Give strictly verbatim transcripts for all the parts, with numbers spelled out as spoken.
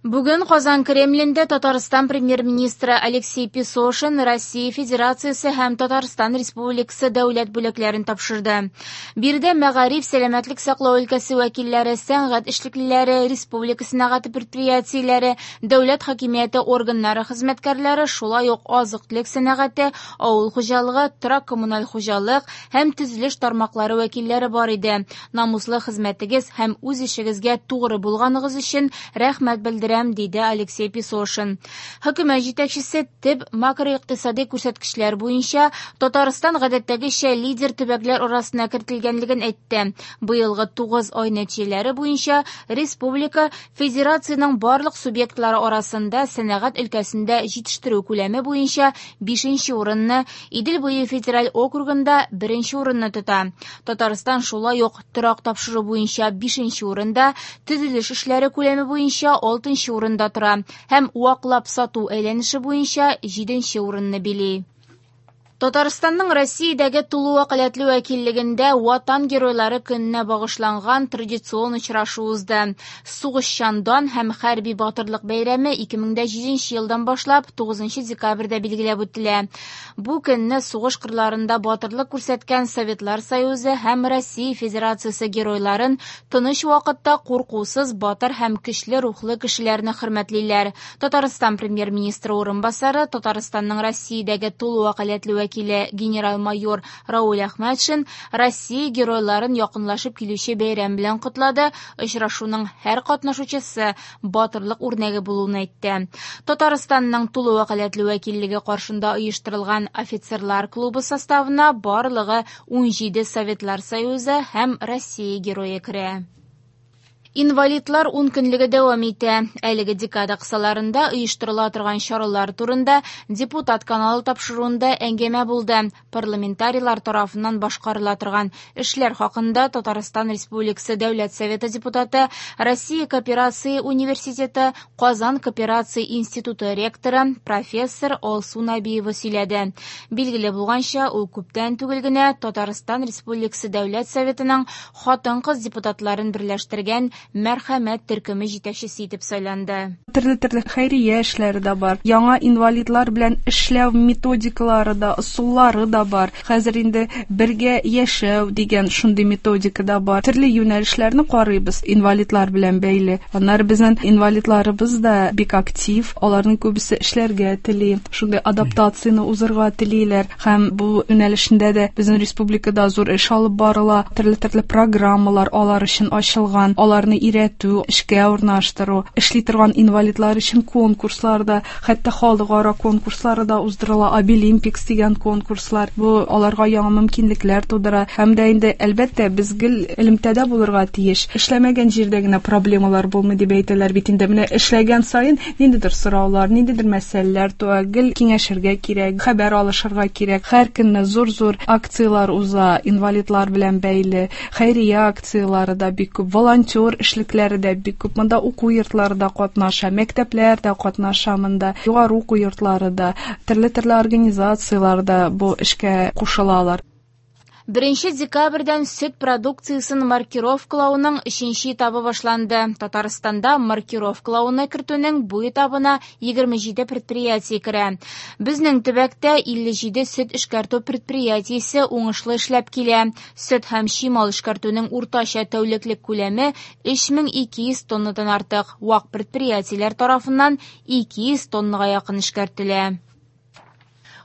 Бүген Казан Кремлендә Татарстан премьер-министры Алексей Песошин Россия Федерациясе һәм Татарстан Республикасы дәүләт бүләкләрен тапшырды. Биредә мәгариф, сәламәтлек саклау өлкәсе вәкилләре, сәнгать эшлеклеләре, республика сәнәгате предприятиеләре, дәүләт хакимияте органнары хезмәткәрләре, шулай ук азык-төлек сәнәгате, авыл хуҗалыгы, торак-коммуналь хуҗалык һәм төзелеш тармаклары вәкилләре бар иде. Намуслы хезмәтегез һәм үз эшегезгә тугры булганыгыз өчен рәхмәт белдерәм, диде Алексей Песошин. Хөкүмәт җитәкчесе төп макроикътисади күрсәткечләр буенча Татарстан гадәттәгечә лидер төбәкләр арасына кертелгәнлеген әйтте. Быелгы тугыз ай нәтиҗәләре буенча республика федерациянең барлык субъектлары арасында сәнәгать өлкәсендә җитештерү күләме буенча бишенче урынны, Идел буе федераль округында беренче урынны тота. Татарстан шулай ук торак тапшыру буенча бишенче урында, төзелеш эшләре күләме буенча алтынчы урында тора һәм ваклап сату әйләнеше буенча җиденче урынны били. Татарстанның Россиядәге тулы вәкаләтле вәкиллегендә Ватан геройлары көненә багышланган традицион очрашу узды. Сугышчан дан һәм хәрби батырлык бәйрәме ике мең дә җиденче елдан башлап тугызынчы декабрьдә билгеләп үтелә. Бу көнне сугыш кырларында батырлык күрсәткән Советлар Союзы һәм Россия Федерациясе геройларын тыныч вакытта куркусыз, батыр һәм көчле рухлы кешеләрне хөрмәтлиләр. Татарстан премьер-министры урынбасары, Татарстанның Россиядәге тулы вәкаләтле вәкиле генерал-майор Рауль Әхмәтшин Россия геройларын якынлашып килүче бәйрәм белән котлады. Очрашуның һәр катнашучысы батырлык үрнәге булуын әйтте. Татарстанның тулы вәкаләтле вәкиллеге каршында оештырылган офицерлар клубы составына барлыгы ун җиде Советлар Союзы һәм Россия герое керә. Инвалидлар ун көнлеге дәвам итә. Әлеге декада кысаларында оештырыла торган чаралар турында депутат каналы тапшыруында әңгәмә булды. Парламентарийлар тарафыннан башкарыла торган эшләр хакында Татарстан Республикасы Дәүләт Советы депутаты, Россия Кооперация университеты, Казан Кооперация институты ректоры, профессор Алсу Набиева сөйләде. Билгеле булганча, ул күптән түгел генә Татарстан Республикасы Дәүләт Советының хатын-кыз депутатларын берләштергән Мәрхәмәт төркеме җитәкчесе итеп сайланды. Төрле-төрле хәйрия эшләре дә бар. Яңа инвалидлар белән эшләү методикалары да, ысуллары да бар. Хәзер инде бергә яшәү дигән шундый методика да бар. Төрле юнәлешләрне карыйбыз инвалидлар белән бәйле. Аннары безнең инвалидларыбыз да бик актив, аларның күбесе эшләргә тели, шундый адаптацияне узырга телиләр. Һәм бу юнәлешендә дә безнең республикада зур эш алып барыла. Төрле-төрле программалар алар өчен ачылган. Аларны өйрәтү, эшкә урнаштыру, эшли торган инвалидлар өчен конкурслар да, хәтта халыкара конкурслары да уздырыла, Абилимпикс дигән конкурслар. Бу аларга яңа мөмкинлекләр тудыра. Һәм дә инде, әлбәттә, без гел элемтәдә булырга тиеш. Эшләмәгән җирдә генә проблемалар булмый дип әйтәләр бит инде. Менә эшләгән саен ниндидер сораулар, ниндидер мәсьәләләр туа, гел киңәшергә кирәк, хәбәр алышырга кирәк. Һәр көнне зур-зур акцияләр уза, инвалидлар белән бәйле, хәйрия акцияләре дә бик күп, волонтер эшлекләре дә бик күп. Монда уку йортлары да катнаша, мәктәпләр дә катнаша монда, югары уку йортлары да, төрле-төрле организацияләр дә бу эшкә кушылалар. Беренче декабрьдән сөт продукциясен маркировкалауның өченче этабы башланды. Татарстанда маркировкалауны кертүнең бу этабына егерме җиде предприятие керә. Безнең төбәктә илле җиде сөт эшкәртү предприятиесе уңышлы эшләп килә. Сөт һәм чимал эшкәртүнең уртача тәүлеклек күләме өч мең ике йөз тоннадан артык. Вак предприятиеләр тарафыннан ике йөз тоннага якын эшкәртелә.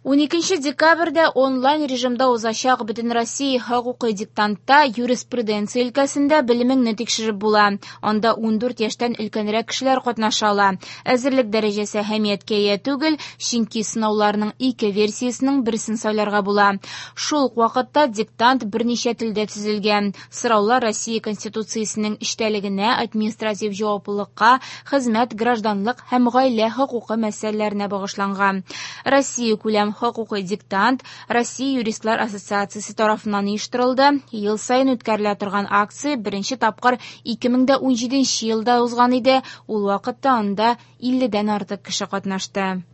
Уникенче декабрьдә онлайн режимда узачак Бөтенроссия хокукый диктантта юриспруденция өлкәсендә белемеңне тикшереп була. Анда ундүрт яшьтән өлкәнрәк кешеләр катнаша ала. Әзерлек дәрәҗәсе әһәмияткә ия түгел, чөнки сынауларның ике версиясенең берсен сайларга була. Шул ук вакытта диктант берничә телдә төзелгән. Сораулар Россия Конституциясенең эчтәлегенә, административ җаваплылыкка, хезмәт, гражданлык һәм гаилә хокукы мәсьәләләренә багышланган. Россия күләм хокукый диктант Россия юристлар ассоциациясе тарафыннан оештырылды. Ел саен үткәрелә торган акция беренче тапкыр ике мең дә унҗиденче елда узган иде. Ул вакытта анда илледән артык кеше катнашты.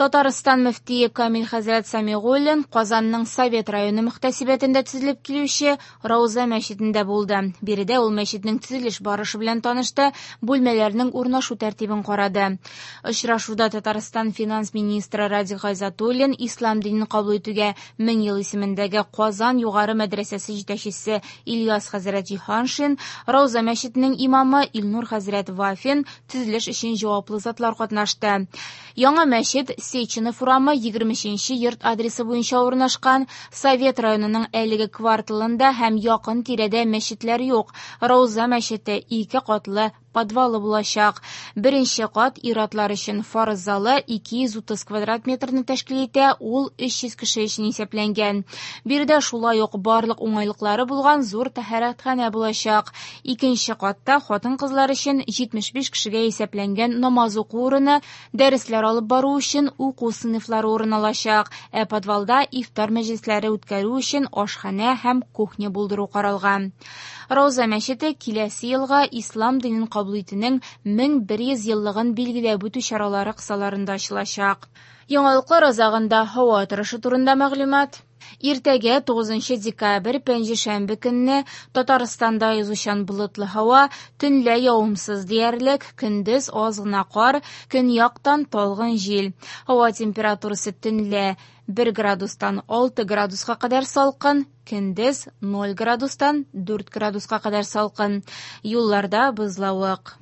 Татарстан мөфтие Камил хәзрәт Сәмигуллин Казанның Совет районы мөхтәсибәтендә төзелеп килүче Рауза мәчетендә булды. Биредә ул мәчетнең төзелеш барышы белән танышты, бүлмәләрнең урнашу тәртибен карады. Очрашуда Татарстан финанс министры Радик Гайзатуллин, Ислам динен кабул итүгә мең ел исемендәге Казан югары мәдрәсәсе җитәкчесе Ильяс хәзрәт Җиһаншин, Рауза мәчетенең имамы Илнур хәзрәт Вафин, төзелеш өчен җаваплы затлар катнашты. Яңа мәчет Сеченов урамы егерме өченче йорт адресы буенча урнашкан. Совет районының әлеге кварталында һәм якын тирәдә мәчетләр юк. Рауза мәчете ике катлы подвалы булачак. Беренче кат ир-атлар өчен фарыз залы ике йөз утыз квадрат метрны тәшкил итә, ул өч йөз кеше өчен исәпләнгән. Биредә шулай ук барлык уңайлыклары булган зур тәһарәтханә булачак. Икенче катта хатын-кызлар өчен җитмеш биш кешегә исәпләнгән намаз уку урыны, дәресләр алып бару өчен уку сыйныфлары урын алачак. Ә подвалда ифтар мәҗлесләре үткәрү өчен ашханә һәм кухня булдыру каралган. Рауза мәчете киләсе елга ислам динен кабул итүнең мең бер йөз еллыгын билгеләп үтү чаралары кысаларында ачылачак. Яңалыклар азагында һава торышы турында мәгълүмат. Иртәгә тугызынчы декабрь пәнҗешәмбе көнне Татарстанда язучан болытлы һава, төнлә явымсыз диярлек, көндез аз гына кар, көньяктан талгын җил. Һава температурасы төнлә бер градустан алты градуска кадәр салкын, көндез ноль градустан дүрт градуска кадәр салкын. Юлларда бозлавык.